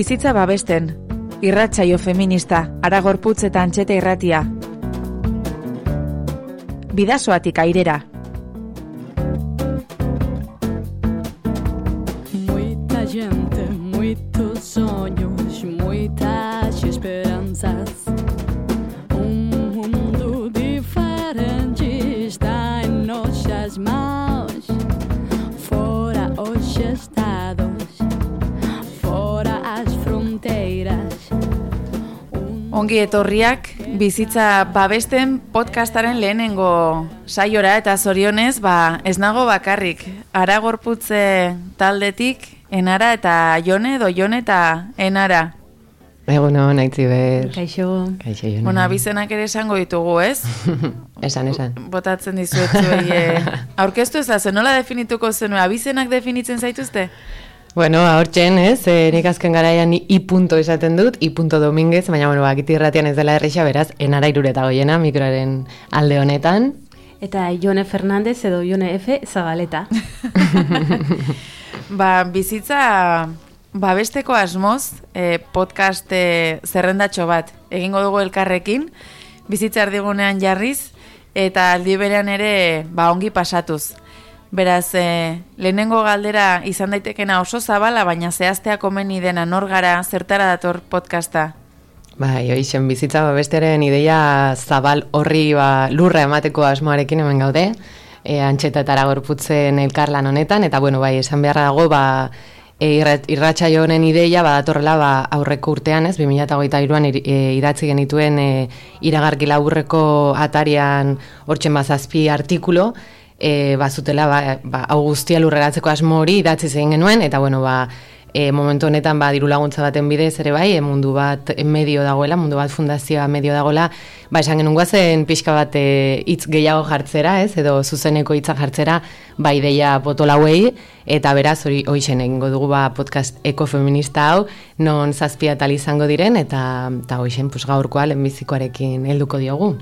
Bizitza babesten, irratsaio feminista, Aragorputz eta Antxeta irratia. Bidasoatik airera. Muita gente, muitos sonhos, muitas esperanças. Mundo diferente está em nossas mãos. Fora os estados, fora as fronteiras. Ongi etorriak, bizitza babesten podcastaren lehenengo saiora eta zorionez, ez nago bakarrik. Aragorputze taldetik, Enara eta Jone, edo Jone eta Enara. Egunon, Aitziber. Kaixo. Kaixo, Jone. Bona, abizenak ere esango ditugu, ez? Esan. Botatzen dizuetzuei. Aurkeztu ezazu, nola definituko zenue? Abizenak definitzen zaituzte? Bueno, ahortzen, ez? Nik azken garaian I punto esaten dut, I punto Dominguez, baina, bakiti irratian ez dela erreixa, beraz, Enara Irureta Goiena, mikroaren alde honetan. Eta Jone Fernandez edo Jone F. Zabaleta. Bizitza babesteko asmoz, podcast zerrendatxo bat egingo dugu elkarrekin, bizitza erdigunean jarriz, eta aldi berean ere ongi pasatuz. Beraz, lehenengo galdera izan daitekena oso zabala, baina zehaztea komeni dena nor gara, zertara dator podcasta? Hoixen, bizitza babesteren ideia zabal horri lurra emateko asmoarekin hemen gaude, Antxeta eta Aragorputzen elkarlan honetan, eta esan beharra dago, irratsaio honen ideia datorrela aurreko urtean, ez, 2023an idatzi genituen iragarki laburreko atarian hortzen 7 artikulu, bazutela hau guztia lurreratzeko asmo hori idatzi egin genuen, eta momentu honetan diru laguntza baten bidez ere mundu bat medio dagoela, mundu bat fundazioa medio dagoela, esan genuen guazen pixka bat hitz gehiago jartzera, ez, edo zuzeneko hitzak jartzera, ideia potolauei, eta beraz hori hoixen egingo dugu podcast ekofeminista hau, non 7 atal izango diren, eta hoixen gaurkoa lehenbizikoarekin helduko diogu.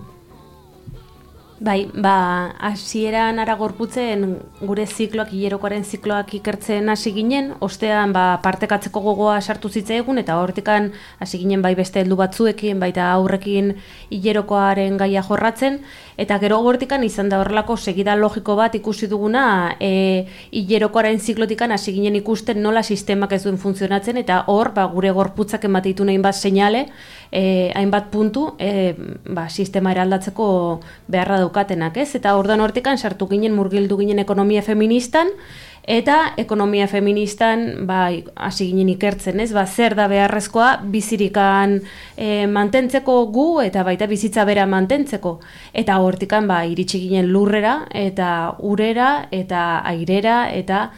Hasieran Aragorputzen gure zikloak, hilerokoaren zikloak ikertzen hasi ginen, ostean partekatzeko gogoa sartu zitzaigun, eta hortikan hasi ginen beste heldu batzuekin, baita aurrekin hilerokoaren gaia jorratzen, eta gero hortikan izan da horrelako segida logiko bat ikusi duguna, hilerokoaren ziklotikan hasi ginen ikusten nola sistemak ez duen funtzionatzen, eta hor gure gorputzak ematitu nahin bat seinale, hainbat puntu, sistema eraldatzeko beharra daukatenak, ez? Eta orduan hortikan sartu ginen, murgildu ginen ekonomia feministan, eta ekonomia feministan hasi ginen ikertzen, ez? Zer da beharrezkoa bizirikan mantentzeko gu, eta baita bizitza bera mantentzeko. Eta hortikan iritsi ginen lurrera, eta urera, eta airera, eta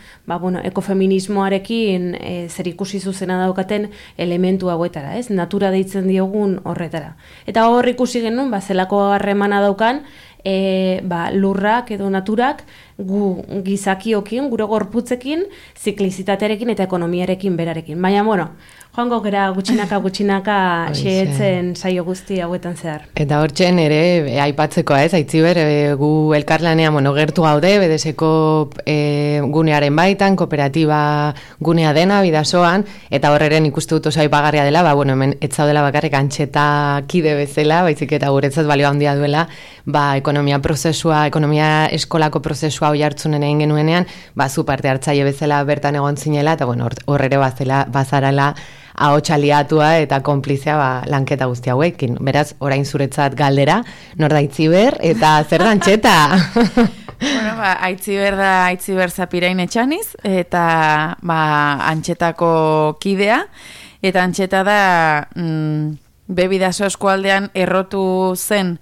ekofeminismoarekin zer ikusi zuzena daukaten elementu hauetara, ez? Natura deitzen diogun horretara. Eta hor ikusi genuen, zelako harremana daukan, lurrak edo naturak gu gizakiokin, gure gorputzekin, ziklizitatearekin eta ekonomiarekin berarekin. Baina, joango gara gutxinaka xeetzen saio guzti hauetan zehar. Eta hortzen ere, aipatzekoa ez, Aitziber, gu elkarlanean gertu gaude, bedeseko gunearen baitan, kooperatiba gunea dena, bidasoan, eta horreren ikuste dut oso aipagarria dela, hemen ez zaudela bakarrik Antxeta kide bezala, baizik eta guretzat balio handia duela, ekonomia prozesua, ekonomia eskolako prozesua hoi hartzunen egin genuenean, zu parte hartzaile bezala bertan egon zinela, eta hor ere bazarala ahots aliatua eta konplizea lanketa guzti hauekin. Beraz, orain zuretzat galdera, nor da Aitziber, eta zer da Antxeta? Aitziber Zapirain Etxaniz, eta Antxetako kidea, eta Antxeta da Bidaso eskualdean errotu zen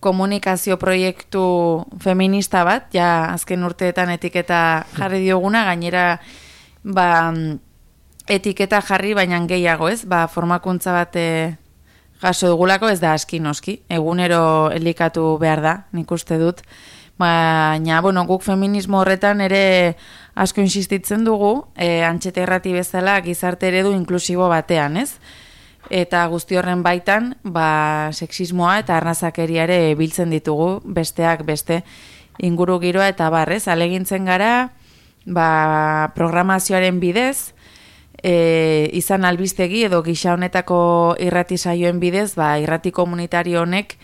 komunikazio proiektu feminista bat, azken urteetan etiketa jarri dioguna, gainera etiketa jarri baina gehiago, ez? Formakuntza bat jaso dugulako, ez da aski noski, egunero elikatu behar da, nik uste dut. Baina, guk feminismo horretan ere asko insistitzen dugu, Antxeta irrati bezala gizarte eredu inklusibo batean, ez? Eta guzti horren baitan, sexismoa eta arnazakeria ere biltzen ditugu, besteak beste inguru giroa eta barrez, alegintzen gara, programazioaren bidez, izan albistegi edo gisa honetako irrati saioen bidez, irrati komunitario honek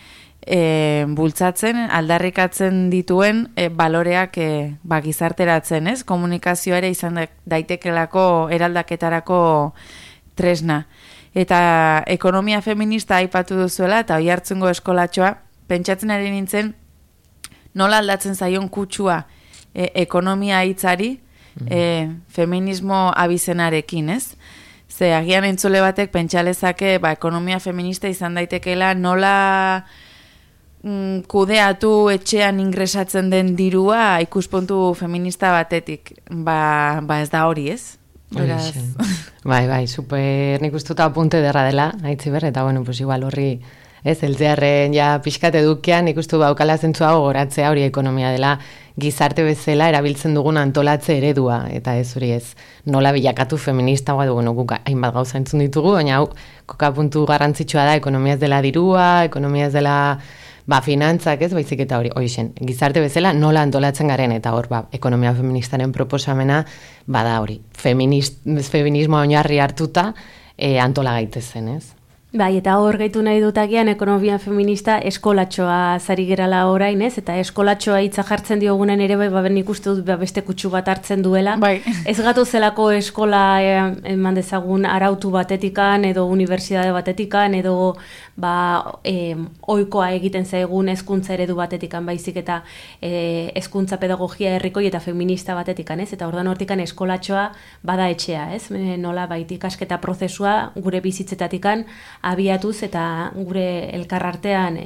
bultzatzen, aldarrikatzen dituen baloreak gizarteratzen, ez? Komunikazioa ere izan daitekelako eraldaketarako tresna. Eta ekonomia feminista aipatu duzuela, eta Oiartzungo eskolatxoa, pentsatzen ari nintzen, nola aldatzen zaion kutsua ekonomia hitzari, feminismo abizenarekin, ez? Ze agian entzule batek pentsalezake ekonomia feminista izan daitekeela nola kudeatu etxean ingresatzen den dirua ikuspuntu feminista batetik. Ez da hori, ez? Beraz... Bai, super nik ustuta apunte derra dela, Aitziber, eta bueno, pues igual horri, ez, eltzearren ja pixkat edukian, ikustu baukala zentzua gogoratzea hori ekonomia dela gizarte bezala erabiltzen dugun antolatze eredua, eta ez hori ez, nola bilakatu feminista, bueno, guk hainbat gauza entzun ditugu, baina hau, kokapuntu garrantzitsua da, ekonomia ez dela dirua, ekonomia ez dela finantzak, ez, baizik eta hori, hoixen, gizarte bezala nola antolatzen garen, eta hor, ekonomia feministaren proposamena, bada hori, feminismoa oinarri hartuta, antola gaitezen, ez? Bai, eta hor gaitu nahi dutakian ekonomia feminista eskolatxoa zari gerala orain, ez? Eta eskolatxoa hitza jartzen diogunen ere ben ikuste dut beste kutsu bat hartzen duela. Bai. Ez gatu zelako eskola eman dezagun arautu batetikan edo unibertsitate batetikan edo ohikoa egiten zaigun hezkuntza eredu batetikan baizik eta hezkuntza pedagogia herrikoi eta feminista batetikan, ez? Eta ordan hortikan eskolatxoa bada etxea, ez? Nola bait ikasketa prozesua gure bizitzetatikan abiatuz eta gure elkarartean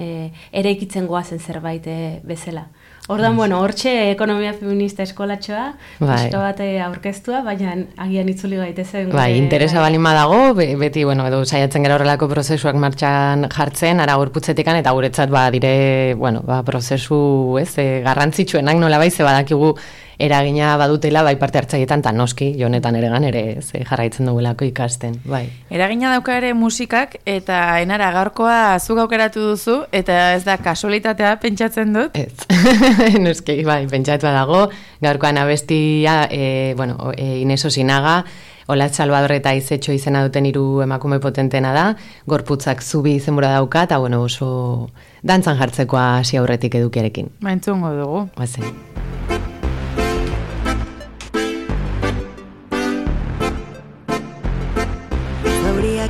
eraikitzen goazen zerbait bezala. Ordan, bueno, hortxe ekonomia feminista eskolatxoa, pixka bat aurkeztua, baina agian itzuli gaitezen. Bai, interesa balin badago, beti, bueno, edo saiatzen gara horrelako prozesuak martxan jartzen, ara gorputzetikan, eta guretzat dire, prozesu, ez, garrantzitsuenak nola bai, ze badakigu eragina badutela, bai parte hartzailetan, eta noski, jonetan ere jarraitzen dugulako ikasten, bai. Eragina dauka ere musikak, eta enara gaurkoa zuk aukeratu duzu, eta ez da kasualitatea pentsatzen dut? Ez, noski, bai, pentsatu dago, gaurkoan abestia, Ines Osinaga, Olatz Salvador eta Izetxo izena duten 3 emakume potentena da, gorputzak zubi izenbura dauka, eta oso dantzan jartzekoa hasi aurretik edukiarekin. Entzungo dugu. Bazen.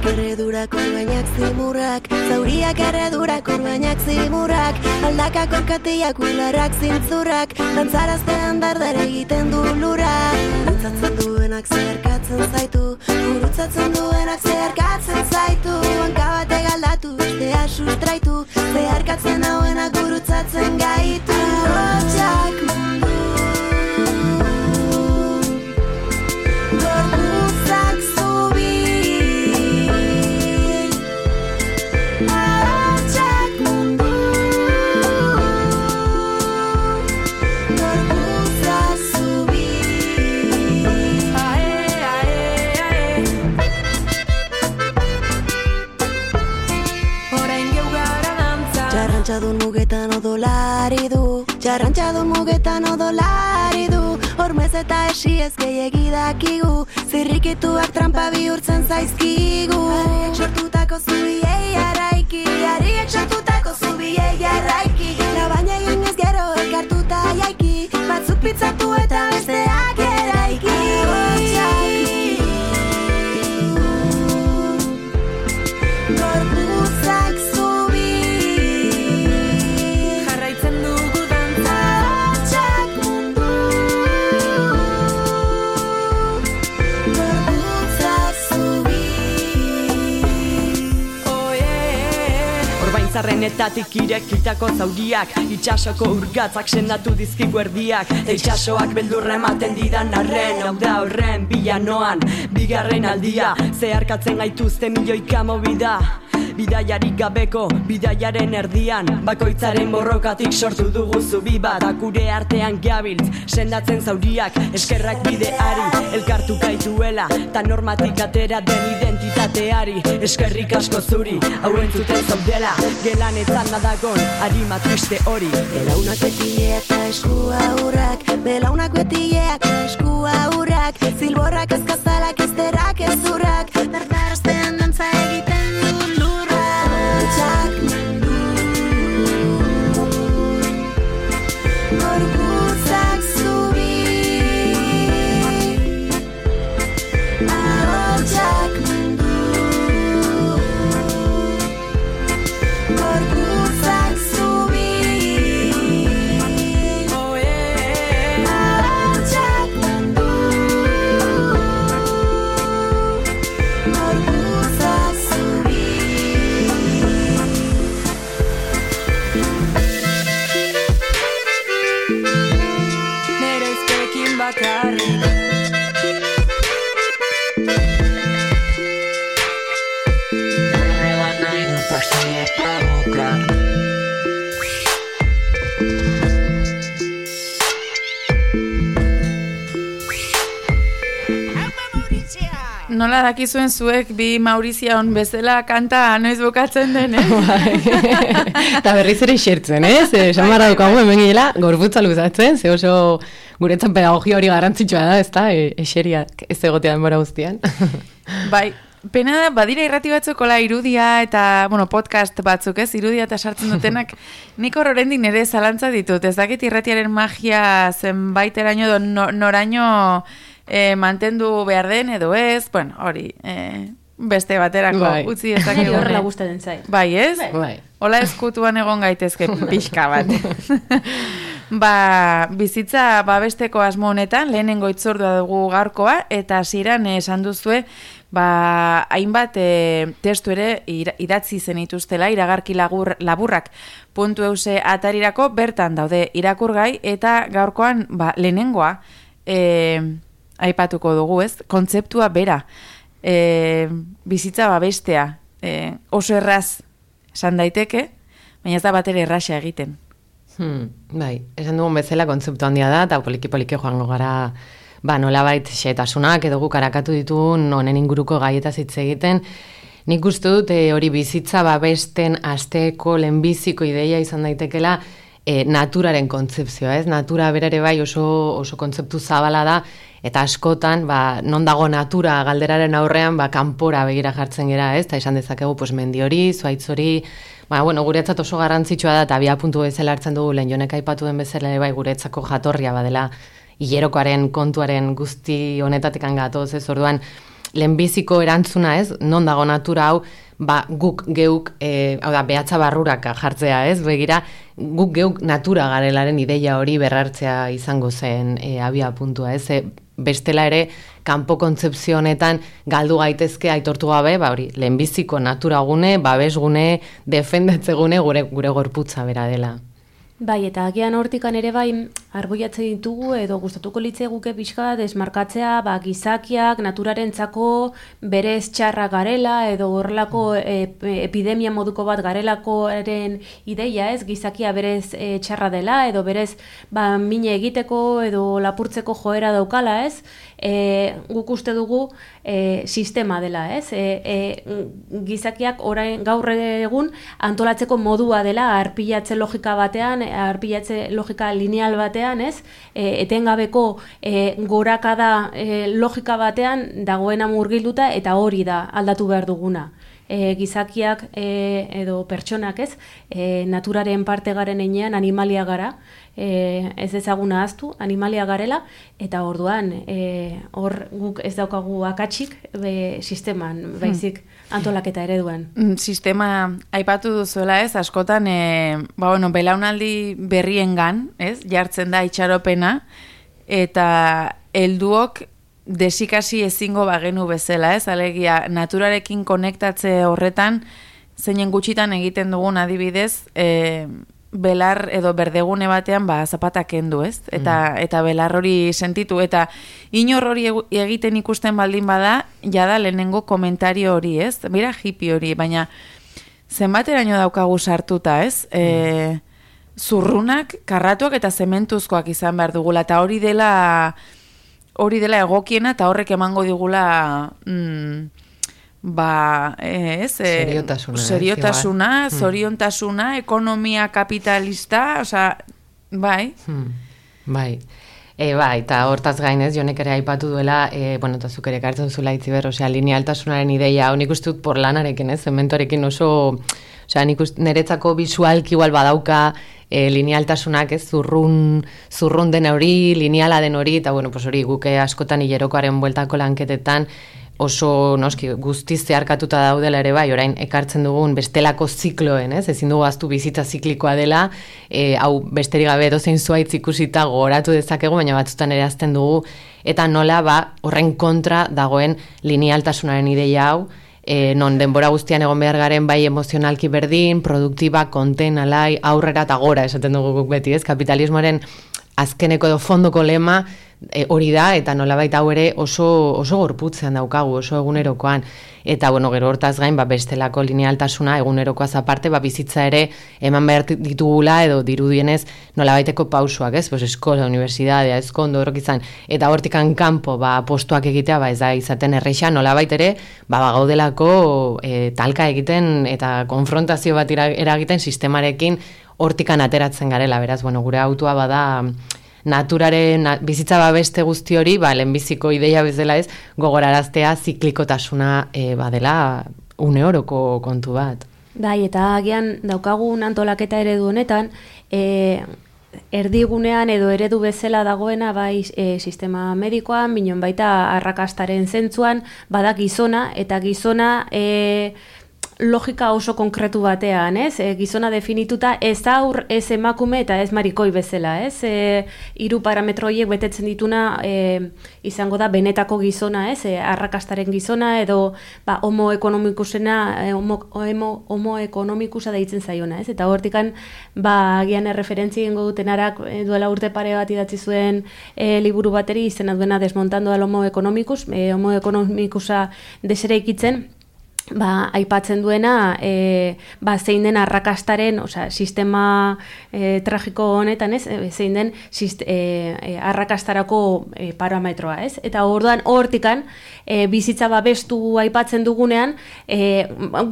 Erredurak orbainak zimurrak, zauriak erredurak orbainak zimurrak, aldakak orkatiak ularrak zintzurrak, dantzaraztean dardar egiten du lura. Gurutzatzen duenak zeharkatzen zaitu, gurutzatzen duenak zeharkatzen zaitu, hanka bate galdatu, bestea sustraitu, zeharkatzen hauenak gurutzatzen gaitu. Hortxak mundu, gorputzak zubi, Jarrantxadun mugetan odolari du, jarrantxadun mugetan odolari du, hormez eta esiez gehiegi dakigu, zirrikituak trampa bihurtzen zaizkigu. Ariek sortutako zubiei araiki, ariek sortutako zubiei araiki, labaina egin ez gero elkartuta jaiki, batzuk pitzatu eta besteak eraiki. Gorputzak zubi, jarraitzen dugu dantza, hortxak mundu, gorputzak zubi. Orbaintzarrenetatik irekitako zauriak, itxasoko urgatzak sendatu dizkigu erdiak, itxasoak beldurra ematen didan arren, hau da horren bilanoan, bigarren aldia, zeharkatzen gaituzte milioika mobida. bidaiarik gabeko, bidaiaren erdian, bakoitzaren borrokatik sortu dugu zubi bat, akure artean gabiltz, sendatzen zauriak, eskerrak bideari, elkartu gaituela, ta normatik atera den identitateari, eskerrik asko zuri, hau entzuten zaudela, gelanetan nadagon, harima triste hori. Belaunak betileak eta eskua hurrak, belaunak betileak eta eskua hurrak, zilborrak azkazalak ezterak ezurrak, bertaraztean dantza egiten du lurrak. Txak mundu, gorputzak zubi, ahotsak mundu, gorputzak zubi. Nola dakizuen zuek bi Maurizia on bezala kanta noiz bukatzen den, Eta berriz ere xertzen, esan barra dukagu hemen gila, gorputza luzatzen, ze oso guretzan pedagogia hori garrantzitsua da, ezta, eseriak ez egotea denbora guztian. Bai, pena da, badira irrati batzukola irudia eta, podcast batzuk, irudia eta sartzen dutenak, nik horrendik nire zalantza ditut, ez dakit irratiaren magia zenbaiteraino edo noraino mantendu behar den edo ez, hori, beste baterako utzi ezakegu. Horrela gustatzen zait. Bai, ez? Bai. Hola eskutuan egon gaitezke pixka bat. Bizitza babesteko asmo honetan, lehenengo itzordua dugu gaurkoa, eta hasieran esan duzue, hainbat testu ere idatzi zenituztela, iragarki laburrak .eus atarirako bertan daude irakurgai, eta gaurkoan lehenengoa aipatuko dugu, ez? Kontzeptua bera, bizitza babestea, oso erraz esan daiteke, baina ez da bat ere erraxa egiten. Bai, esan dugun bezala kontzeptu handia da, eta poliki-poliki joango gara, nolabait xetasunak edo guk arakatu ditun honen inguruko gaietaz hitz egiten. Nik uste dut hori bizitza babesten asteko lehenbiziko ideia izan daitekela naturaren kontzepzioa, ez? Natura berare bai oso kontzeptu zabala da, eta askotan, non dago natura galderaren aurrean, kanpora begira jartzen gera, ez? Eta esan dezakegu, mendi hori, zuaitz hori, guretzat oso garrantzitsua da, eta puntu bezala hartzen dugu, lehen jonek aipatu den bezala, bai guretzako jatorria badela, hilerokoaren kontuaren guzti honetatik gatoz, ez? Orduan, lehenbiziko erantzuna, ez? Non dago natura hau, guk geuk, behatza barrurak jartzea, ez? Begira, guk geuk natura garelaren ideia hori berrartzea izango zen abia puntua, ez? Bestela ere, kanpo kontzepzio honetan galdu gaitezke aitortu gabe, hori, lehenbiziko naturagune, babesgune, defendatzegune gure gorputza bera dela. Bai, eta agian hortikan ere bai arboiatzen ditugu edo gustatuko litzeguke pixka desmarkatzea, gizakiak naturarentzako berez txarra garela edo horrelako epidemia moduko bat garelakoaren ideia, ez? Gizakia berez txarra dela edo berez mine egiteko edo lapurtzeko joera daukala, ez? Guk uste dugu sistema dela, ez? Gizakiak orain gaur egun antolatzeko modua dela arpilatze logika batean, arpilatze logika lineal batean, ez? Etengabeko gorakada logika batean dagoena murgilduta eta hori da aldatu behar duguna. Gizakiak edo pertsonak, ez? Naturaren parte garen enean animalia gara, ez ezaguna ahaztu, animalia garela, eta orduan hor guk ez daukagu akatsik sisteman, baizik antolaketa ereduan. Sistema aipatu duzuela, ez, askotan belaunaldi berriengan, ez, jartzen da itxaropena, eta helduok desikasi ezingo bagenu bezala, ez, alegia naturarekin konektatze horretan, zeinen gutxitan egiten dugun adibidez, belar edo berdegune batean zapatak kendu, ez? Eta belar hori sentitu, eta inor hori egiten ikusten baldin bada, jada lehenengo komentario hori, ez? Mira hippie hori, baina zenbateraino daukagu sartuta, ez? Zurrunak, karratuak eta zementuzkoak izan behar dugula, eta hori dela egokiena, eta horrek emango digula seriotasuna, zoriontasuna, ekonomia kapitalista, osea, bai. Bai. Bai, eta hortaz gainez, Jonek ere aipatu duela, eta zuk ere kartzen zula itziber, linealtasunaren ideia, nik uste dut porlanarekin, zementorekin oso, niretzako visualki igual badauka linealtasunak, zurrun den hori, lineala den hori, eta hori guke askotan hilerokoaren bueltako lanketetan, oso noski guztiz zeharkatuta daudela ere bai, orain ekartzen dugun bestelako zikloen, ezin dugu ahaztu bizitza ziklikoa dela, hau besterik gabe edozein zuaitz ikusita gogoratu dezakegu, baina batzutan ere azten dugu, eta nola horren kontra dagoen linealtasunaren ideia hau, non denbora guztian egon behar garen bai emozionalki berdin, produktiba, konten, alai, aurrera eta gora, esaten dugu beti, kapitalismoaren azkeneko edo fondoko lema hori da, eta nolabait hau ere oso gorputzean daukagu, oso egunerokoan. Eta, gero hortaz gain, bestelako linealtasuna egunerokoaz aparte, bizitza ere eman behar ditugula edo dirudienez nolabaiteko pausuak, ez? Eskola, universidadea, ezkondo, horrek izan. Eta hortikan kanpo, postuak egitea, ez da izaten erreixa, nolabait ere, gaudelako talka egiten eta konfrontazio bat eragiten sistemarekin hortikan ateratzen garela, beraz, gure autua bada naturaren bizitza babeste guzti hori, lehenbiziko ideia bezala ez, gogoraraztea ziklikotasuna badela une oroko kontu bat. Bai, eta agian daukagun antolaketa eredu honetan, erdigunean edo eredu bezala dagoena bai sistema medikoan, minon baita arrakastaren zentzuan, bada gizona, eta gizona logika oso konkretu batean, ez? Gizona definituta ez aur, ez emakume eta ez marikoi bezala, ez? 3 parametro horiek betetzen dituna izango da benetako gizona, ez? Arrakastaren gizona edo homo ekonomikusena, homo ekonomikusa deitzen zaiona, ez? Eta hortikan agian erreferentzia egingo dutenarak duela urte pare bat idatzi zuen liburu bateri izena duena Desmontando al homo economicus, homo economicusa deseraikitzen, aipatzen duena zein den arrakastaren, sistema tragiko honetan, ez, zein den arrakastarako parametroa, ez? Eta orduan hortikan bizitza babestu aipatzen dugunean,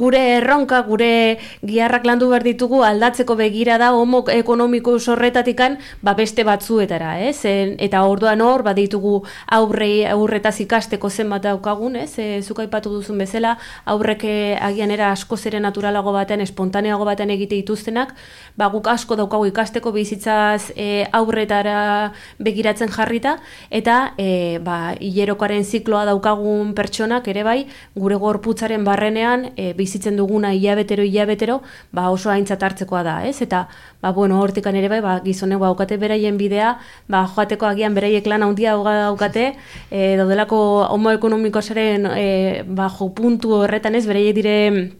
gure erronka, gure giharrak landu behar ditugu aldatzeko begira da homo ekonomikus horretatikan beste batzuetara, ez? Eta orduan hor baditugu aurretaz ikasteko zenbat daukagun, ez? Zuk aipatu duzun bezala, aurrek agian era asko zere naturalago batean, espontaneago batean egite dituztenak, guk asko daukagu ikasteko bizitzaz aurretara begiratzen jarrita, eta hilerokoaren zikloa daukagun pertsonak ere bai, gure gorputzaren barrenean bizitzen duguna hilabetero, oso aintzat hartzekoa da, ez? Eta, hortikan ere bai, gizonek daukate beraien bidea, joateko agian beraiek lan handia daukate, daudelako homo ekonomikosaren puntu horretan ez, beraiek dire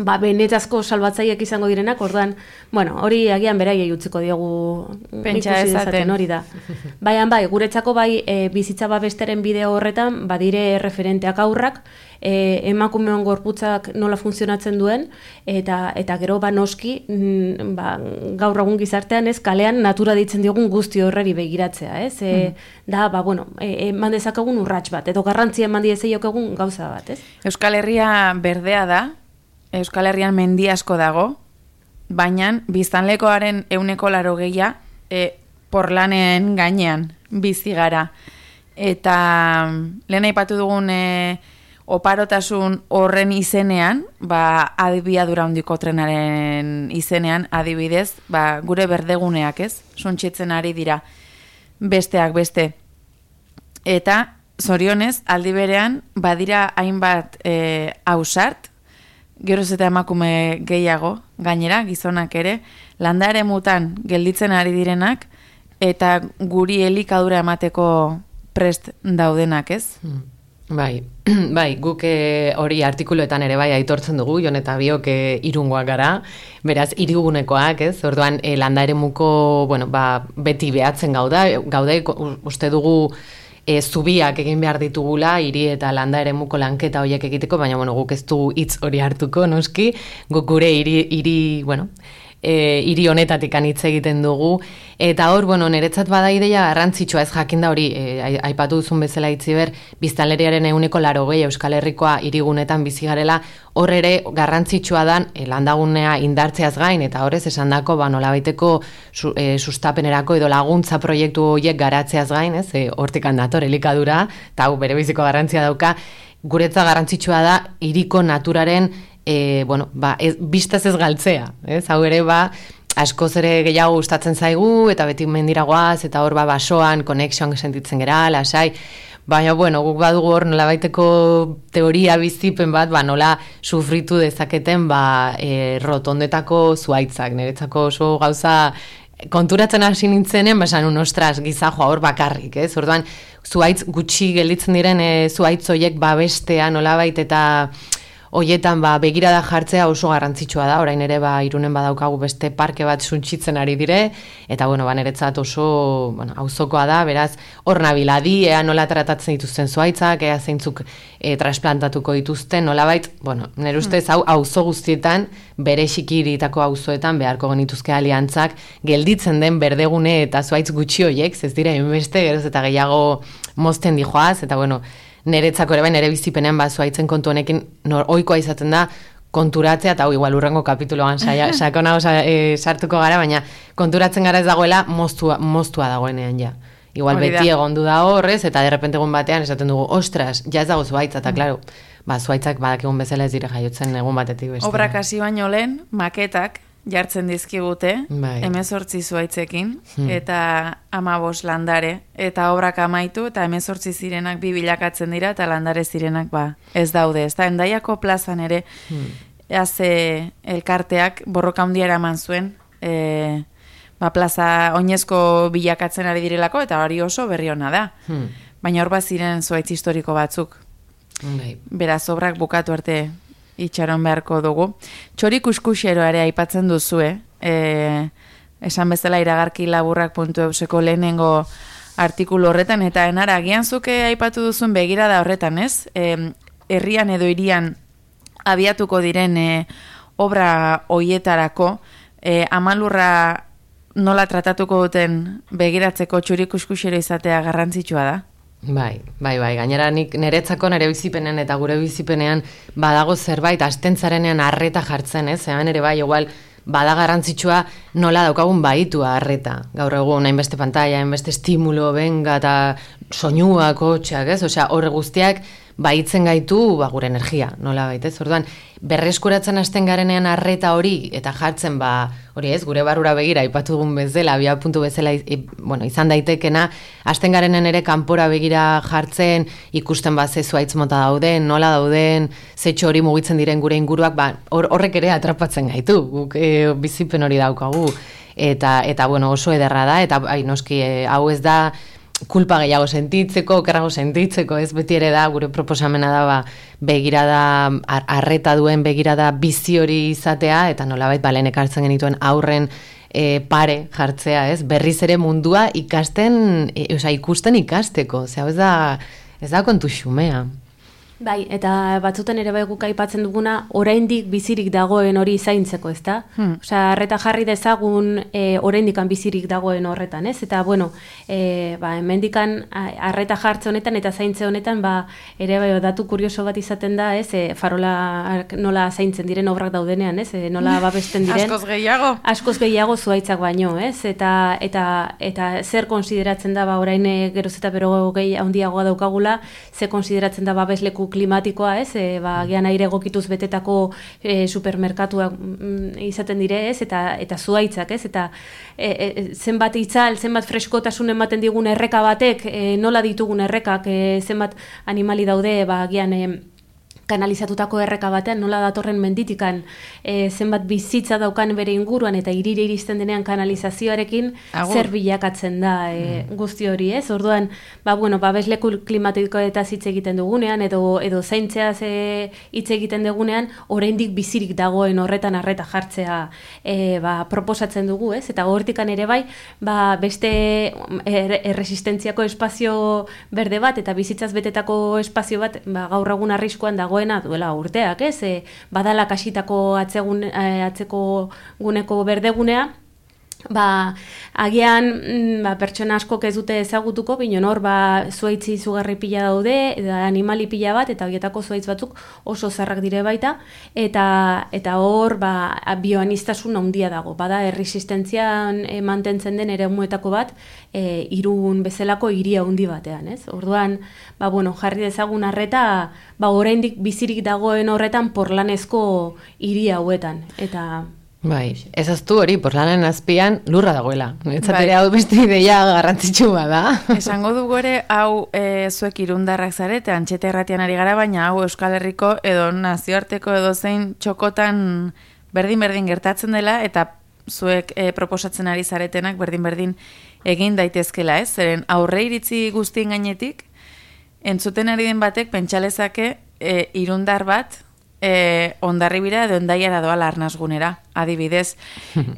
benetazko salbatzaileak izango direnak, orduan, hori agian beraiei utziko diogu pentsa ezaten hori da. Guretzako bizitza babesteren bideo horretan, badire referenteak aurrak, emakumeon gorputzak nola funtzionatzen duen, eta gero noski, gaur egun gizartean ez, kalean natura ditzen diogun guzti horreri begiratzea, ez? Eman dezakagun urrats bat, edo garrantzia eman diezaiokegun gauza bat, ez? Euskal Herria berdea da, Euskal Herrian mendi asko dago, baina biztanlekoaren 80% porlanen gainean bizi gara. Eta lehen aipatu dugun oparotasun horren izenean, abiadura handiko trenaren izenean, adibidez, gure berdeguneak, ez? Suntxitzen ari dira besteak beste. Eta zorionez, aldi berean, badira hainbat ausart, geroz eta emakume gehiago, gainera, gizonak ere, landare mutan gelditzen ari direnak, eta guri elikadura emateko prest daudenak, ez? Bai, guk hori artikuluetan ere bai aitortzen dugu, Jon eta biok irungoak gara, beraz, hirigunekoak, ez? Orduan, landaremuko, beti behatzen gaude, uste dugu zubiak egin behar ditugula, hiri eta landa eremuko lanketa horiek egiteko, baina bueno, guk ez dugu hitz hori hartuko, noski, guk gure hiri honetatik hitz egiten dugu, eta hor, bueno, niretzat bada ideia garrantzitsua, ez jakinda hori, aipatu duzun bezala Itziber, biztanleriaren 80% Euskal Herrikoa hirigunetan bizi garela, hor ere garrantzitsua dan landagunea indartzeaz gain, eta horrez esandako nolabaiteko sustapenerako edo laguntza proiektu horiek garatzeaz gain, ez, hortikan dator elikadura, eta hau bere biziko garrantzia dauka, guretza garrantzitsua da hiriko naturaren bistaz ez galtzea, ez? Hau ere askoz ere gehiago gustatzen zaigu, eta beti mendiragoaz, eta hor basoan, konexioan sentitzen gera, lasai, baina, bueno, guk badugu hor nolabaiteko teoria bizipen bat, nola sufritu dezaketen, rotondetako zuaitzak, niretzako oso gauza konturatzen hasi nintzenen, basan ostras, gizajoa hor bakarrik, ez? Orduan, zuaitz gutxi gelditzen diren zuaitz hoiek babestea nolabait eta hoietan begirada jartzea oso garrantzitsua da, orain ere Irunen badaukagu beste parke bat suntsitzen ari dire, eta niretzat oso auzokoa da, beraz hor nabiladi, ea nola tratatzen dituzten zuaitzak, ea zeintzuk trasplantatuko dituzten, nolabait, nire ustez hau auzo guztietan, bere xikiritako auzoetan beharko genituzke aliantzak, gelditzen den berdegune eta zuaitz gutxi hoiek, ez dira beste, geroz eta gehiago mozten dijoaz, eta niretzako ere nire bizipenean zuaitzen kontu honekin ohikoa izaten da konturatzea, eta igual urrengo kapituloan sakonago sartuko gara, baina konturatzen gara ez dagoela moztua dagoenean ja. Igual beti egondu da horrez, eta derrepente egun batean esaten dugu, ostras, ja ez dago zuaitza, eta klaro, zuaitzak badakigun bezala ez dire jaiotzen egun batetik beste. Obrak hasi baino lehen, maketak jartzen dizkigute, 18 zuaitzekin, eta 15 landare, eta obrak amaitu, eta 18 zirenak 2 bilakatzen dira, eta landare zirenak ez daude. Ez da, Hendaiako plazan ere, elkarteak borroka handia eraman zuen, plaza oinezko bilakatzen ari direlako, eta hori oso berri ona da. Baina hor ziren zuaitz historiko batzuk. Beraz, obrak bukatu arte itxaron beharko dugu. Txori kuskuxero ere aipatzen duzue, esan bezala iragarki laburrak.euseko lehenengo artikulu horretan, eta enara, agian zuke aipatu duzun begirada horretan, ez? Herrian edo hirian abiatuko diren obra hoietarako, amalurra nola tratatuko duten begiratzeko txuri kuskuxero izatea garrantzitsua da? Bai, gainera nik niretzako nire bizipenean eta gure bizipenean badago zerbait astentzarenean arreta jartzen, ez? Hemen ere igual bada garrantzitsua nola daukagun baitua arreta. Gaur egun hainbeste pantalla, hainbeste estimulo, benga eta soinua, kotxeak, ez? Osea, horre guztiak baitzen gaitu gure energia, nola baitez. Orduan, berreskuratzen hasten garenean arreta hori eta jartzen hori ez, gure barrura begira aipatu dugun bezala, abia puntu bezala izan daitekena, hasten garenen ere kanpora begira jartzen, ikusten ze zuaitz mota dauden, nola dauden, zetxo hori mugitzen diren gure inguruak, horrek ere atrapatzen gaitu, guk bizipen hori daukagu, eta oso ederra da, eta noski hau ez da kulpa gehiago sentitzeko, okerrago sentitzeko, ez beti ere da, gure proposamena da, begirada, arreta duen begirada bizi hori izatea, eta nolabait lehen ekartzen genituen aurren pare jartzea, ez? Berriz ere mundua ikusten ikasteko, ez da kontu xumea. Bai, eta batzutan ere guk aipatzen duguna, oraindik bizirik dagoen hori zaintzeko, ezta? Osea, arreta jarri dezagun oraindikan bizirik dagoen horretan, ez? Eta, hemendikan arreta jartze honetan eta zaintze honetan, ere datu kurioso bat izaten da, ez? Farola nola zaintzen diren obrak daudenean, ez? Nola babesten diren. Askoz gehiago. Askoz gehiago zuaitzak baino, ez? Eta zer konsideratzen da, orain geroz eta bero handiagoa daukagula, zer konsideratzen da babesleku klimatikoa, ez? Gian aire egokituz betetako supermerkatuak izaten dire, ez? Eta zuaitzak, ez? Eta zenbat itzal, zenbat freskotasun ematen digun erreka batek, nola ditugun errekak, zenbat animali daude, gian kanalizatutako erreka batean, nola datorren menditikan zenbat bizitza daukan bere inguruan eta hirire iristen denean kanalizazioarekin zer bilakatzen da guzti hori, ez? Orduan, babesleku klimatikoetaz hitz egiten dugunean edo zaintzeaz hitz egiten dugunean, oraindik bizirik dagoen horretan arreta jartzea proposatzen dugu, ez? Eta hortikan ere bai, beste erresistentziako espazio berde bat eta bizitzaz betetako espazio bat gaur egun arriskuan dagoena duela urteak, ez? Badala kasitako atzeko guneko berdegunea, agian pertsona askok ez dute ezagutuko, bino hor zuaitzi izugarri pila daude, animali pila bat, eta horietako zuaitz batzuk oso zarrak dire baita, eta hor bioanistasun handia dago. Bada erresistentzian mantentzen den eremuetako bat, Irun bezalako hiria handi batean, ez? Orduan, jarri dezagun arreta, oraindik bizirik dagoen horretan porlanezko hiri hauetan, eta Bai, ezaztu hori, porlanen azpian lurra dagoela. Netzatera hau beste ideia garrantzitsu bada. Esango dugu ere, hau zuek irundarrak zarete, Antxeta Irratian ari gara, baina hau Euskal Herriko edo nazioarteko edo zein txokotan berdin-berdin gertatzen dela, eta zuek proposatzen ari zaretenak berdin-berdin egin daitezkela, ez? Zeren aurre iritzi guztien gainetik, entzuten ari den batek pentsalezake irundar bat, Hondarribira edo Hendaiara doala arnasgunera, adibidez,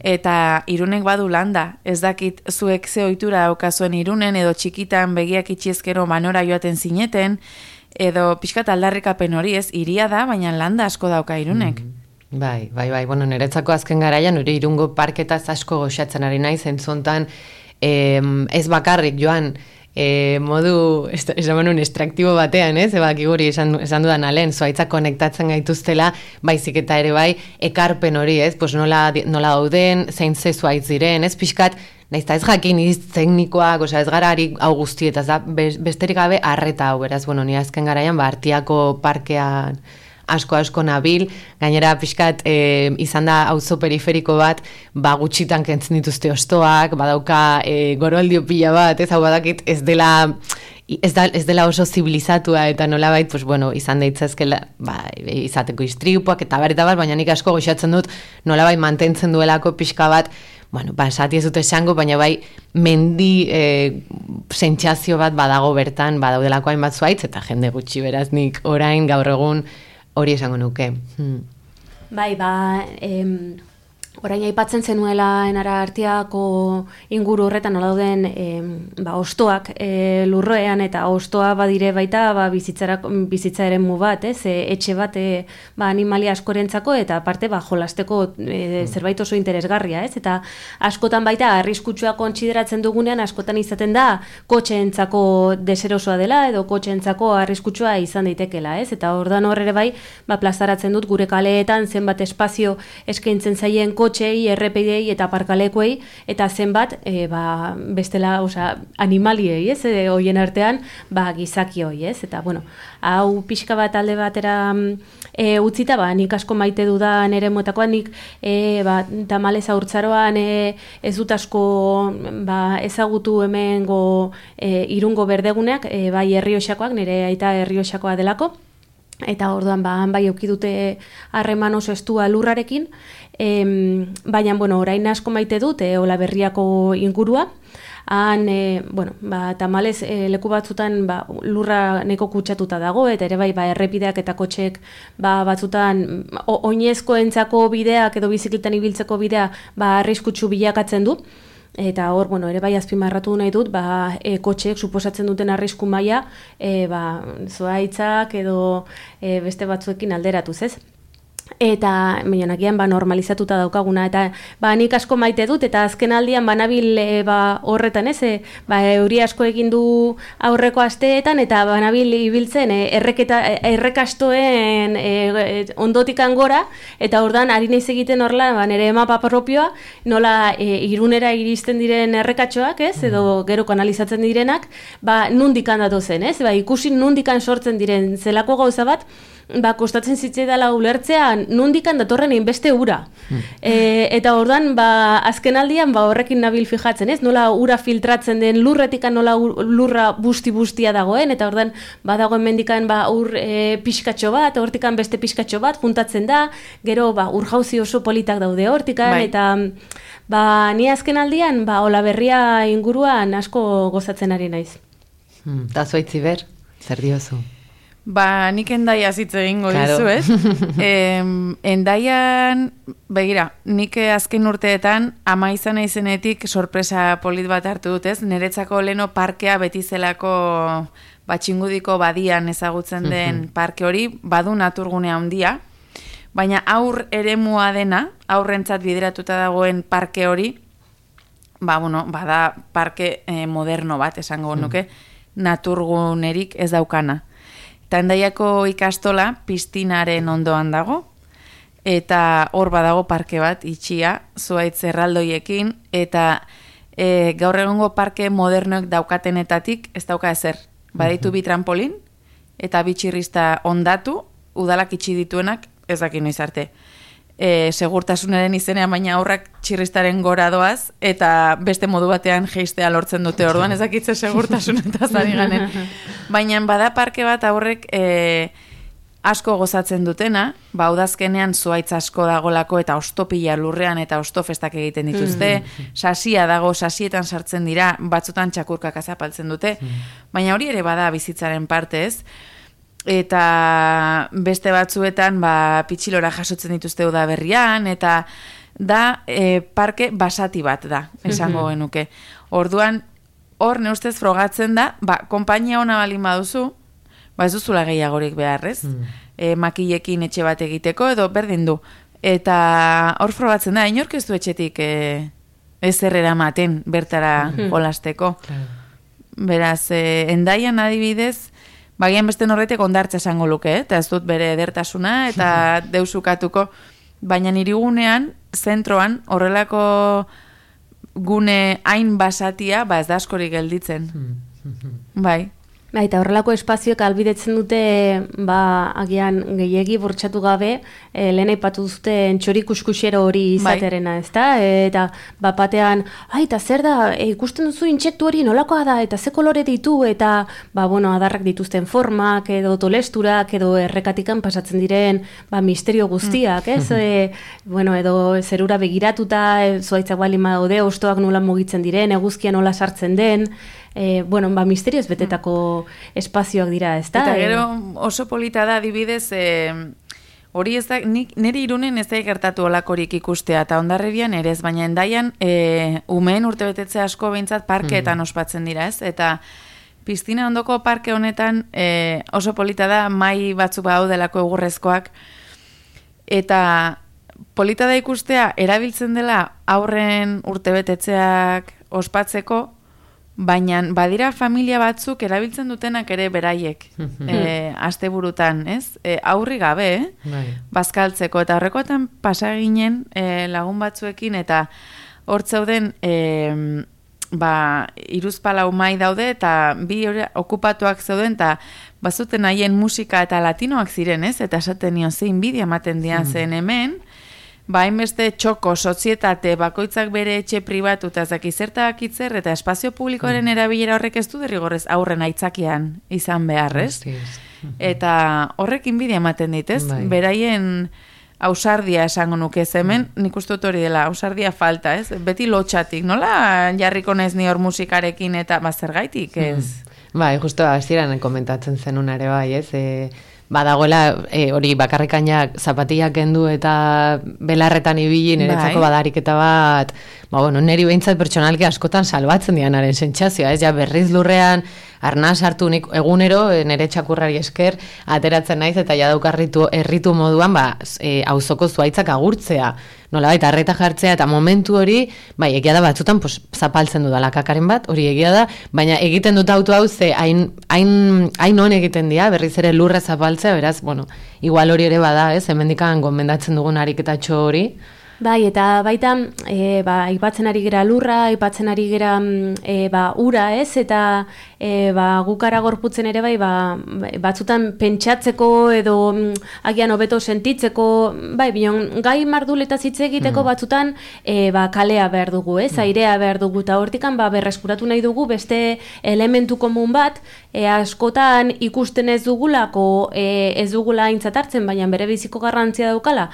eta Irunek badu landa, ez dakit zuek ze ohitura daukazuen Irunen, edo txikitan begiak itxiezkero manora joaten zineten, edo pixkat aldarrikapen hori, ez, hiria da, baina landa asko dauka Irunek. Bai, niretzako azken garaian, nire Irungo parketaz asko goxatzen ari naiz, entzontan ez bakarrik joan, modu, esan estraktibo batean, ez? Guri esan dudan alen, zuaitzak konektatzen gaituztela, baizik eta ere bai, ekarpen hori, ez? Pues nola dauden, zein ze zuaitz diren, ez? Pixkat, naizta ez jakin iz teknikoak, ez gara ari hau guztietaz da, besterik gabe arreta hau, beraz, ni azken garaian, Artiako parkean asko nabil, gainera pixkat izan da auzo periferiko bat, gutxitan kentzen dituzte ostoak, badauka goroldio pila bat, ez hau badakit ez dela oso zibilizatua eta nolabait, izan deitzazkela izateko istripuak eta bar, baina nik asko goxatzen dut nolabait mantentzen duelako pixka bat, esati ez dut esango, baina bai mendi sentsazio bat badago bertan, badaudelako hainbat zuaitz, eta jende gutxi beraz nik orain gaur egun hori esango nuke. Bai, orain aipatzen zenuela enara Artiako inguru horretan nola dauden ostoak lurroean, eta ostoa badire baita bizitza eremu bat, etxe bat animalia askorentzako, eta aparte jolasteko zerbait oso interesgarria, ez? Eta askotan baita arriskutsua kontsideratzen dugunean, askotan izaten da kotxeentzako deserosoa dela edo kotxeentzako arriskutsua izan daitekela, ez? Eta ordan hor ere bai, plazaratzen dut gure kaleetan zenbat espazio eskaintzen zaien kotxei, errepidei eta parkalekuei, eta zenbat bestela, animaliei, ez? Hoien artean, gizaki hoi, ez? Eta, hau pixka bat alde batera utzita, nik asko maite dudan ere motakoan, nik tamalez haurtzaroan ez dut asko ezagutu hemengo Irungo berdeguneak, bai Errioxakoak, nire aita Errioxakoa delako, eta orduan bai aukidute harreman oso estua lurrarekin, baina orain asko maite dut Olaberriako ingurua. Han, tamalez leku batzutan lurra neko kutsatuta dago, eta ere bai errepideak eta kotxek batzutan oinezkoentzako bideak edo bizikletan ibiltzeko bidea arriskutsu bilakatzen du. Eta hor, ere bai azpimarratu nahi dut, kotxeek suposatzen duten arrisku maila, zuaitzak edo beste batzuekin alderatuz, ez? Eta meionakian normalizatuta daukaguna, eta nik asko maite dut, eta azken aldian banabil horretan, ez? Euri asko egin du aurreko asteetan, eta banabil ibiltzen errekastoen ondotikan gora, eta ordan ari naiz egiten horla, nire mapa propioa, nola Irunera iristen diren errekatxoak, ez? Edo gero kanalizatzen direnak, nundikan datozen, ez? Ikusi nundikan sortzen diren zelako gauza bat, kostatzen zitzaidala ulertzea nondikan datorren beste ura. Eta orduan, azken aldian, horrekin nabil fijatzen, ez? Nola ura filtratzen den, lurretikan nola lurra busti-bustia dagoen, eta orduan, badagoen mendikan ur pixkatxo bat, hortikan beste pixkatxo bat, juntatzen da, gero ur jauzi oso politak daude hortikan, eta ni azken aldian, Olaberria inguruan asko gozatzen ari naiz. Ta zuaitzi ber, zer diozu? Nik Endaiaz hitz egingo dizu, ez? Endaian, begira, nik azken urteetan ama izan izenetik sorpresa polit bat hartu dut, ez? Niretzako leno parkea beti zelako Txingudiko badian ezagutzen den parke hori, badu naturgunea handia, baina aur eremua dena, aurrentzat bideratuta dagoen parke hori, bada parke moderno bat, esango nuke, naturgunerik ez daukana. Eta Endaiako ikastola piztinaren ondoan dago, eta hor badago parke bat itxia, zuaitz erraldoiekin, eta gaur egongo parke modernoek daukatenetatik ez dauka ezer. Badaitu bi trampolin, eta bi txirrista ondatu, udalak itxi dituenak ez dakin noiz arte. Segurtasunaren izenean baina aurrak txirristaren gora doaz, eta beste modu batean jeistea lortzen dute orduan, ezakitze segurtasunetaz ari ganen. Baina bada parke bat aurrek asko gozatzen dutena, udazkenean zuaitz asko dagolako eta ostopila lurrean eta ostofestak egiten dituzte, sasia dago, sasietan sartzen dira, batzutan txakurkak azapaltzen dute, baina hori ere bada bizitzaren parte, ez? Eta beste batzuetan pitxilora jasotzen dituzte udaberrian, eta da parke basati bat da, esango genuke. Orduan, hor neustez frogatzen da, konpainia ona balin baduzu, ez duzula gehiagorik beharrez, makilekin etxe bat egiteko, edo berdin du. Eta hor frogatzen da, inork ez du etxetik ezer eramaten bertara jolasteko. Beraz, Endaian adibidez, bagian beste norretek ondartza esango luke, eta ez dut bere edertasuna, eta deusukatuko, baina irigunean, zentroan, horrelako gune hain basatia, ez da askorik gelditzen. Bai. Eta horrelako espazioek albidetzen dute, agian gehiegi bortxatu gabe, lehen aipatu duzuten txorikuskuxero hori izaterena, ezta? Eta batean, eta zer da, ikusten duzu intsektu hori nolakoa da, eta ze kolore ditu, eta adarrak dituzten formak, edo tolesturak, edo errekatikan pasatzen diren, misterio guztiak, ez? Edo zerura begiratuta, zuaitzak balin badaude, hostoak nola mugitzen diren, eguzkia nola sartzen den, misterioz betetako espazioak dira, ez da? Eta gero oso polita da, adibidez, hori ez da, nire Irunen ez da gertatu olakorik ikustea, eta Hondarribian ere ez, baina Endaian umeen urtebetetze asko behintzat parkeetan ospatzen dira, ez? Eta piztina ondoko parke honetan oso polita da, mai batzuk daudelako egurrezkoak, eta polita da ikustea, erabiltzen dela aurren urtebetetzeak ospatzeko, baina badira familia batzuk erabiltzen dutenak ere beraiek asteburutan, ez? Aurri gabe, bazkaltzeko, eta horrekoetan pasa ginen lagun batzuekin, eta hor zeuden hiruzpalau mai daude, eta bi okupatuak zeuden, eta bazuten haien musika eta latinoak ziren, ez? Eta esaten nion zein bidia ematen dian zen hemen, hainbeste txoko, sozietate, bakoitzak bere etxe pribatu eta zertak itzer, eta espazio publikoaren erabilera horrek ez du derrigorrez aurren aitzakian izan beharrez. Eta horrekin bidea ematen dit, ez? Beraien ausardia esango nuke hemen, nik uste dut hori dela, ausardia falta, ez? Beti lotxatik, nola jarriko nez ni hor musikarekin eta zergaitik, ez? Justo hasieran komentatzen zenun ere ez? Badagoela hori bakarrikainak zapatillak kendu eta belarretan ibili niretzako badariketa bat, neri behintzat pertsonalki askotan salbatzen dianaren sentsazioa, ez? Ja berriz lurrean arnaz hartu nik egunero nire txakurrari esker ateratzen naiz eta ja daukarritu erritu moduan auzoko zuaitzak agurtzea. Nolabait arreta jartzea eta momentu hori, egia da batzutan zapaltzen dudala kakaren bat, hori egia da, baina egiten dut auto hau ze hain on egiten dira, berriz ere lurra zapaltzea, beraz, igual hori ere bada, ez? Hemendikan gomendatzen dugun ariketatxo hori, Bai, eta baita, aipatzen ari gera lurra, aipatzen ari gera ura, ez? Eta gukara gorputzen ere bai, batzutan pentsatzeko edo agian hobeto sentitzeko, bai, bion, gai marduleta hitz egiteko batzutan kalea behar dugu, ez? Airea behar dugu, eta hortikan berreskuratu nahi dugu beste elementu komun bat, askotan ikusten ez dugulako, ez dugula aintzat hartzen, baina bere biziko garrantzia daukala,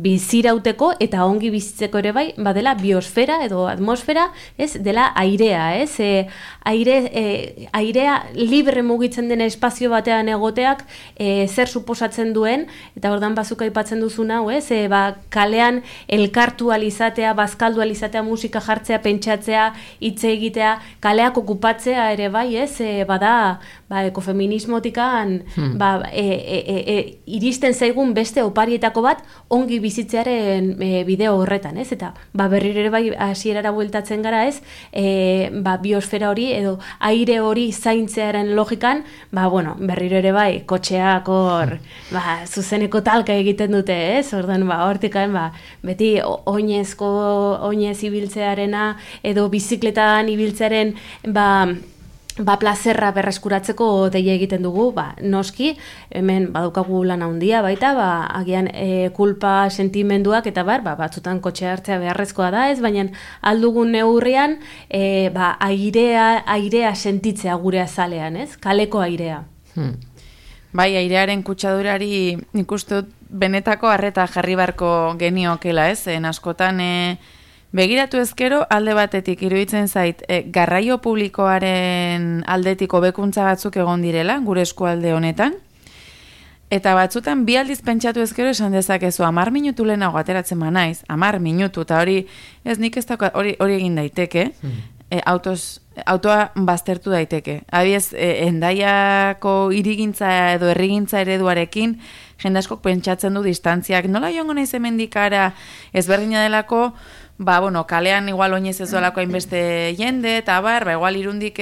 bizirauteko eta ongi bizitzeko ere bai, badela biosfera edo atmosfera, ez, dela airea, ez, airea libre mugitzen den espazio batean egoteak zer suposatzen duen, eta ordan bazuk aipatzen duzuna, ez, kalean elkartu alizatea, bazkaldu alizatea, musika jartzea, pentsatzea, hitz egitea, kaleak okupatzea ere bai, ez, bada ekofeminismotikan iristen zaigun beste oparietako bat ongi bizitzearen bideo horretan, ez? Eta berriro ere bai hasierara bueltatzen gara, ez? Biosfera hori edo aire hori zaintzearen logikan, berriro ere bai kotxeak hor zuzeneko talka egiten dute, ez? Ordan hortikan beti oinez ibiltzearena edo bizikletan ibiltzearen plazerra berreskuratzeko deia egiten dugu, noski, hemen badaukagu lan handia baita, agian kulpa sentimenduak eta batzutan kotxe hartzea beharrezkoa da, ez, baina aldugun neurrian airea sentitzea gure azalean, ez, kaleko airea. Bai, airearen kutsadurari nik uste dut benetako arreta jarri barko geniokela, ez, askotan begiratu ezkero alde batetik iruditzen zait garraio publikoaren aldetik hobekuntza batzuk egon direla gure eskualde honetan, eta batzutan bi aldiz pentsatu ezkero esan dezakezu 10 minutu lehenago ateratzen naiz, 10 minutu, eta hori ez nik ez daukat, hori egin daiteke, autoa baztertu daiteke. Abiez, Hendaiako hirigintza edo herrigintza ereduarekin jende askok pentsatzen du distantziak, nola joango naiz hemendikara ezberdina delako, kalean igual oinez ez doalako hainbeste jende, eta igual irundik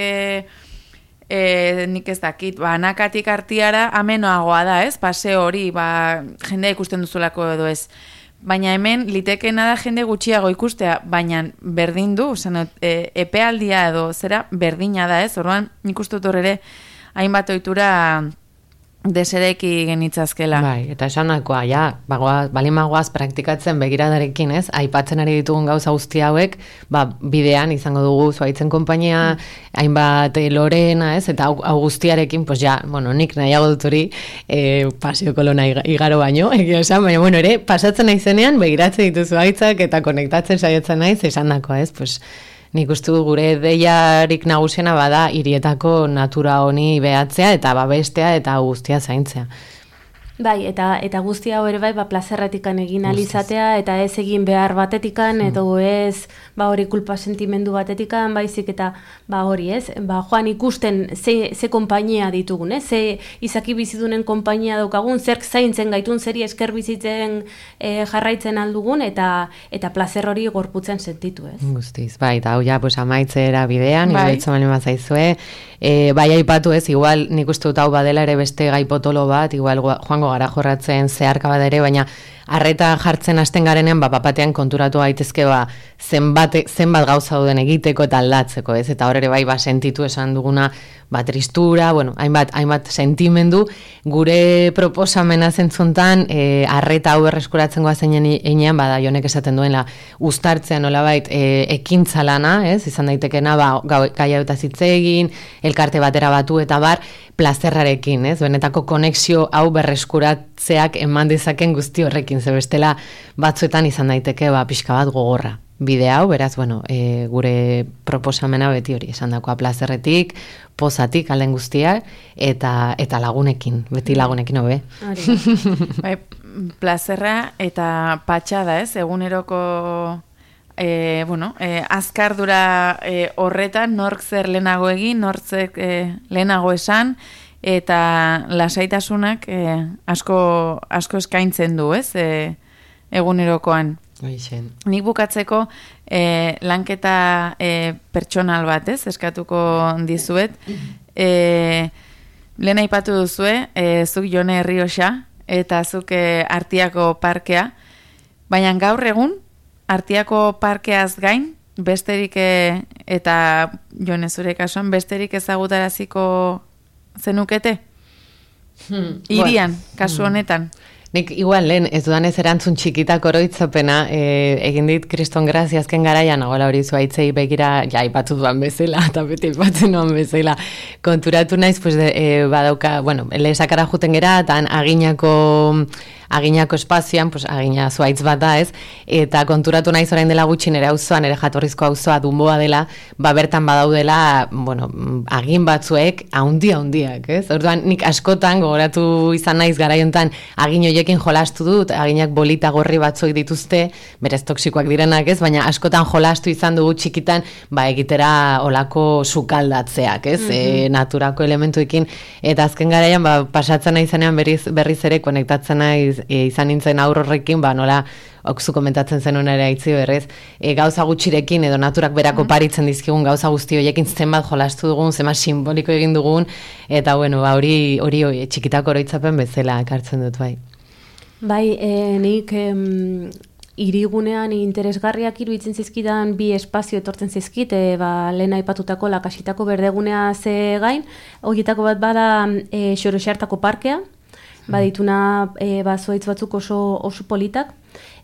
nik ez dakit, anakatik artiara amenoagoa da, ez? Paseo hori, jendea ikusten duzulako edo ez. Baina hemen litekena da jende gutxiago ikustea, baina berdin du, epealdia edo zera berdina da, ez? Orduan nik uste dut ere hainbat ohitura desereki genitzazkela. Bai, eta esanakoa, balin magoaz praktikatzen begiradarekin, ez? Aipatzen ari ditugun gauza guzti hauek, bidean izango dugu Zuhaitzen konpainia, hainbat Lorena, ez? Eta hau guztiarekin, nik nahiago dut hori Paseo Kolona igaro baino, egia esan, baina, ere, pasatzen naizenean, begiratzen dituzu Zuhaitzak eta konektatzen saiatzen naiz, esanakoa, ez? Nik uste gure deiarik nagusiena bada hirietako natura honi behatzea eta babestea eta guztia zaintzea. Bai, eta guzti hau ere bai, plazerretikan egin alizatea, eta ez egin behar batetikan, edo ez, hori kulpa sentimendu batetikan, baizik eta, hori ez, joan ikusten ze konpainia ditugun, ze izaki bizidunen konpainia daukagun, zerk zaintzen gaitun, zeri esker bizitzen jarraitzen aldugun, eta plazer hori gorputzen sentitu, ez. Guztiz, bai, eta hau amaitzera bidean, iruditzen bali mazaizue, bai aipatu ez, igual nik uste dut hau badela ere beste gai potolo bat, igual joango gara jorratzen zeharka bat ere, baina arreta jartzen hasten garenean, papatean konturatu gaitezke zenbat gauza duden egiteko eta aldatzeko, ez? Eta hor ere bai sentitu esan duguna, tristura, hainbat sentimendu, gure proposamena zentzuntan, arreta hau berreskuratzen goazen einean, Jonek esaten duela, uztartzea nolabait ekintza lana, ez? Izan daitekena, gai hau eta zitzegin, elkarte batera batu eta plazerrarekin, ez? Benetako konexio hau berreskuratzeak eman dezaken guzti horrekin, ze bestela batzuetan izan daiteke pixka bat gogorra. Bide hau, beraz, gure proposamena beti hori esan dakoa plazerretik, pozatik, alden guztia, eta lagunekin, beti lagunekin hobe. Bai, plazerra eta patxada, ez? Eguneroko azkardura horretan, nork zer lehenago egin, nork zer lehenago esan, eta lasaitasunak asko eskaintzen du, ez? Egunerokoan. Nik bukatzeko lanketa pertsonal bat, ez? Eskatuko dizuet. Lehen aipatu duzue, zuk Jone Herrioxa, eta zuk Artiako parkea, Baina gaur egun, Artiako parkeaz gain, besterik eta Jone zure kasuan, besterik ezagutaraziko zenukete? Irian, kasu honetan. Nik igual lehen, ez dudan ez erantzun txikitak oroitzapena, egin dit Kriston Grazia azken garaian, nagoela hori zuaitzei begira, ja, ipatu duan bezala, eta beti ipatzen duan bezala, konturatu naiz, pues, badauka, bueno, lehesakara juten gera, eta aginako espazioan, pues, agina zuaitz bat da, ez? Eta konturatu naiz orain dela gutxi nere auzoan, nere jatorrizko auzoa Dunboa dela, bertan badaudela, bueno, agin batzuek handiak, ez? Orduan nik askotan gogoratu izan naiz garaiontan agin hoiekin jolastu dut, aginak bolita gorri batzuek dituzte, berez toksikoak direnak, ez? Baina askotan jolastu izan dugu txikitan, egitera olako sukaldatzeak, ez? Naturako elementuekin, eta azken garaian pasatzen naizenean berriz ere konektatzen naiz izan nintzen aurrorrekin, nola okzu komentatzen zenuen ere aitzi berrez, gauza gutxirekin edo naturak berako paritzen dizkigun gauza guzti horiekin zenbat jolastu dugun, zenbat simboliko egin dugun, eta bueno, hori txikitako oroitzapen bezala ekartzen dut, bai. Bai, nik hirigunean interesgarriak iruditzen zizkidan bi espazio etortzen zizkit, lehen aipatutako lakasitako berdegunea ze gain, horietako bat bada Xoroxartako parkea, badituna zuaitz batzuk oso politak,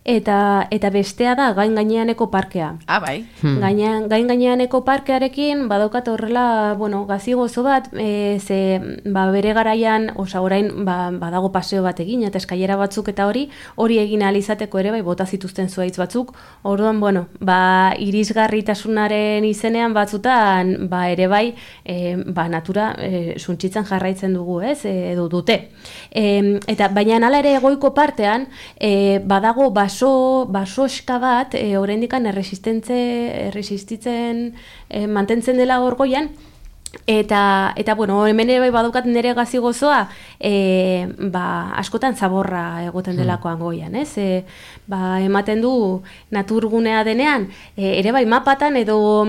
eta bestea da gain gaineaneko parkea. Bai. Gain gaineaneko parkearekin badaukat horrela, bueno, gazi gozo bat, ze bere garaian, orain badago paseo bat egin, eta eskailera batzuk eta hori egin ahal izateko ere bota zituzten zuaitz batzuk. Orduan, bueno, irisgarritasunaren izenean batzutan ere bai, natura suntsitzen jarraitzen dugu, ez, edo dute. Eta baina hala ere goiko partean badago basoska bat oraindikan erresistitzen mantentzen dela hor goian, eta bueno, hemen ere badaukat nire gazi gozoa, askotan zaborra egoten delakoan goian, ez? Ematen du naturgunea denean, ere bai mapatan edo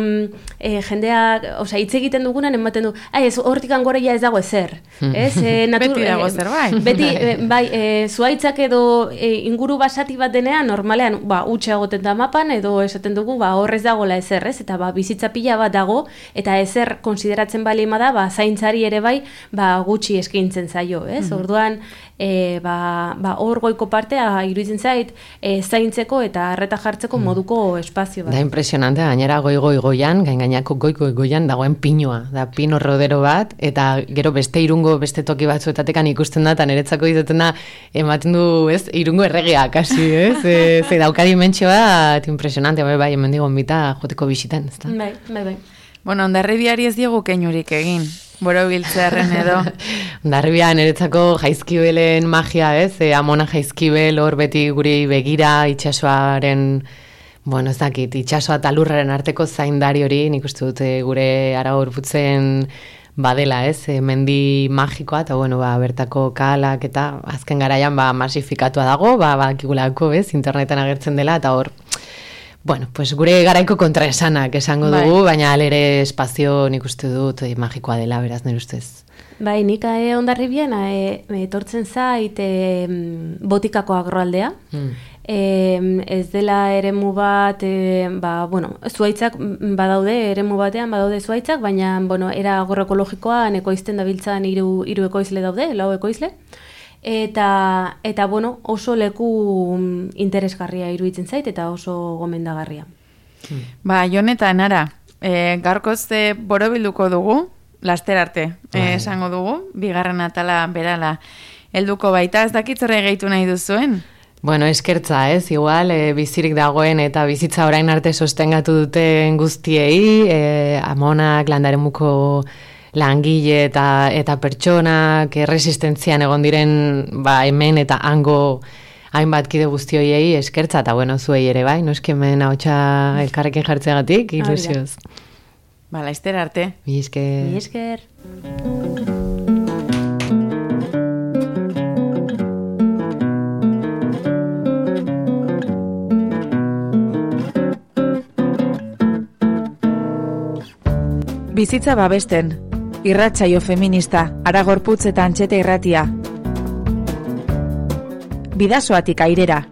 jendeak, hitz egiten dugunan ematen du, ez, hortikan goreia ez dago ezer, ez? Beti dago ezer, bai. Beti, zuaitzak edo inguru basati bat denean, normalean, utxe egoten da mapan, edo esaten dugu, horrez dagoela ezer, ez? Eta bizitza pila bat dago, eta ezer konsideratzen balima da, zaintzari ere bai, gutxi eskaintzen zaio, ez? Orduan, hor goiko partea iruditzen zait, zaintzeko eta arreta jartzeko moduko espazio bat. Da impresionante, gainera goian, gainako goian dagoen pinoa, da pino rodero bat, eta gero beste irungo, beste toki batzuetatekan ikusten da, eta niretzako izuten da, ematen du, ez, irungo erregea, kasi, ez? Ze dauka dimentsioa, impresionante, bai, hemen digon bita joteko bisitan, ez da? Bai. Bueno, Hondarribiari ez diegu keinurik egin, borobiltzearen edo. Hondarribia niretzako jaizkibelen magia, ez? Amona jaizkibel hor beti guri begira itxasoaren, bueno, ez dakit, itxasoa eta lurraren arteko zaindari hori, nik uste dut gure Aragorputzen badela, ez? Mendi magikoa, eta bueno, bertako kalak eta azken garaian masifikatua dago, bakigulako, ez? Interneten agertzen dela, eta hor, bueno, pues gure garaiko kontraesanak esango dugu, baina alere espazio nik uste dut magikoa dela, beraz, nire ustez. Bai, nik Hondarribian etortzen zait Botikako agroaldea. Ez dela eremu bat, bueno, zuaitzak badaude, eremu batean badaude zuaitzak, baina, bueno, era agroekologikoan ekoizten dabiltzan hiru ekoizle daude, 4 ekoizle. Eta bueno, oso leku interesgarria iruditzen zait eta oso gomendagarria. Jon eta Nara, gaurkoz borobilduko dugu, laster arte, esango dugu, bigarren atala berala helduko baita, ez dakit zer gehitu nahi duzuen? Bueno, eskertza, ez, igual, bizirik dagoen eta bizitza orain arte sostengatu duten guztiei, Amonak, Landaremuko langile eta pertsonak erresistentzian egon diren hemen eta hango hainbat kide guztioiei eskertza, eta bueno, zuei ere bai, noski hemen ahotsa elkarrekin jartzeagatik, ilusioz. Laster arte. Mi esker. Mi esker. Bizitza babesten. Irratsaio feminista, Aragorputz eta Antxete irratia. Bidasoatik airera.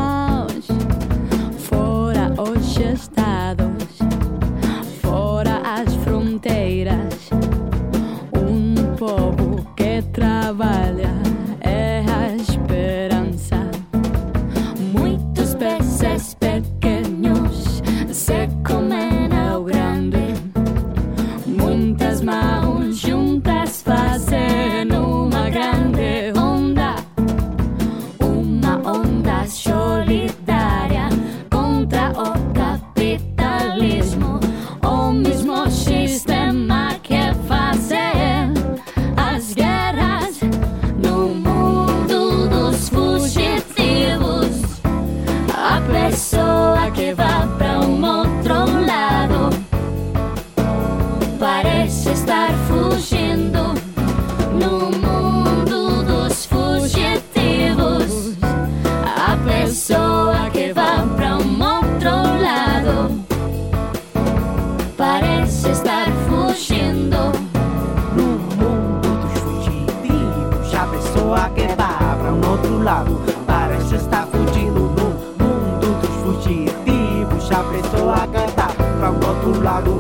maus, fora os estados, fora as fronteiras. Povo que trabalha é a esperança. Muitos peces pequenos se comem ao grande. Muitas mãos juntas fazem uma grande onda. Uma onda solidária contra o capitalismo. O mesmo sistema que faz as guerras no mundo dos fugitivos. A pessoa que vai para outro lado parece estar fugindo no mundo dos fugitivos. A pessoa que vai para outro lado parece estar fugindo. A que vai pra outro lado parece estar fugindo no mundo dos fugitivos. A pessoa que vai pra outro lado